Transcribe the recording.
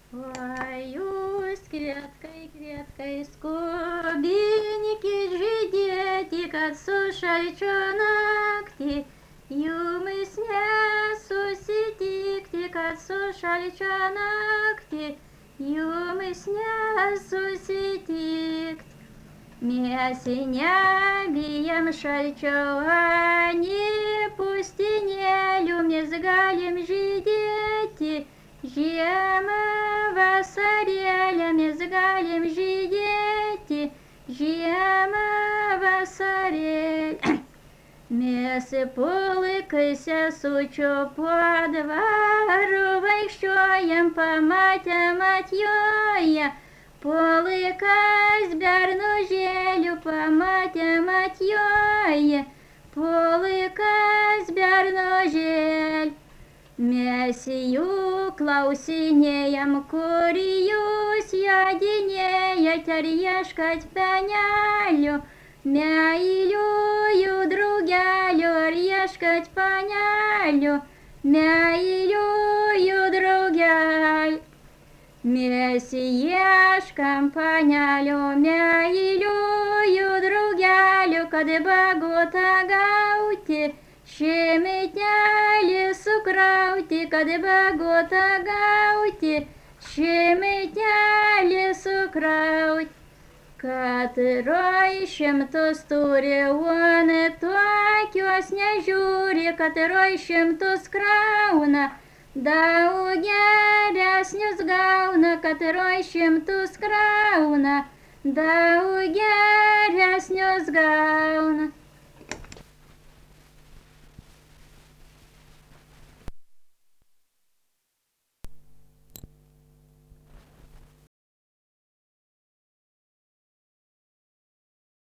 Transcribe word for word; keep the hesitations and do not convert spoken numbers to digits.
Oi, jūs kvietkai, kvietkai skubinkit žydėti, kad su šalčio naktį jumis nesusitikti, kad su šalčio naktį jumis nesusitikt. Mes nebijam šalčio, ani pustinėlių, mes galim žydėti. Žiemą vasarėlę mes galim žydėti, žiemą vasarėlę. Mes pulkai sesučio po dvarų vaikščiojam, pamatėm atjoja. Pulkas bernužėlių pamatėm atjoja, pulkas bernužėlių. Mes jų klausinėjam, kur jūs jodinėjat, ar ieškat panelių, meiliųjų draugelių, ar ieškat panelių, meiliųjų draugelių. Mes ieškam panelių, meiliųjų draugelių, kad bagotą gauti, šiemetelį sukrauti, kad bagotą gauti, šiemetelį sukrauti. Katroj šimtus turi, on tokios nežiūri, katroj šimtus krauna, daug geresnius gauna, katroj šimtus krauna, daug geresnius gauna.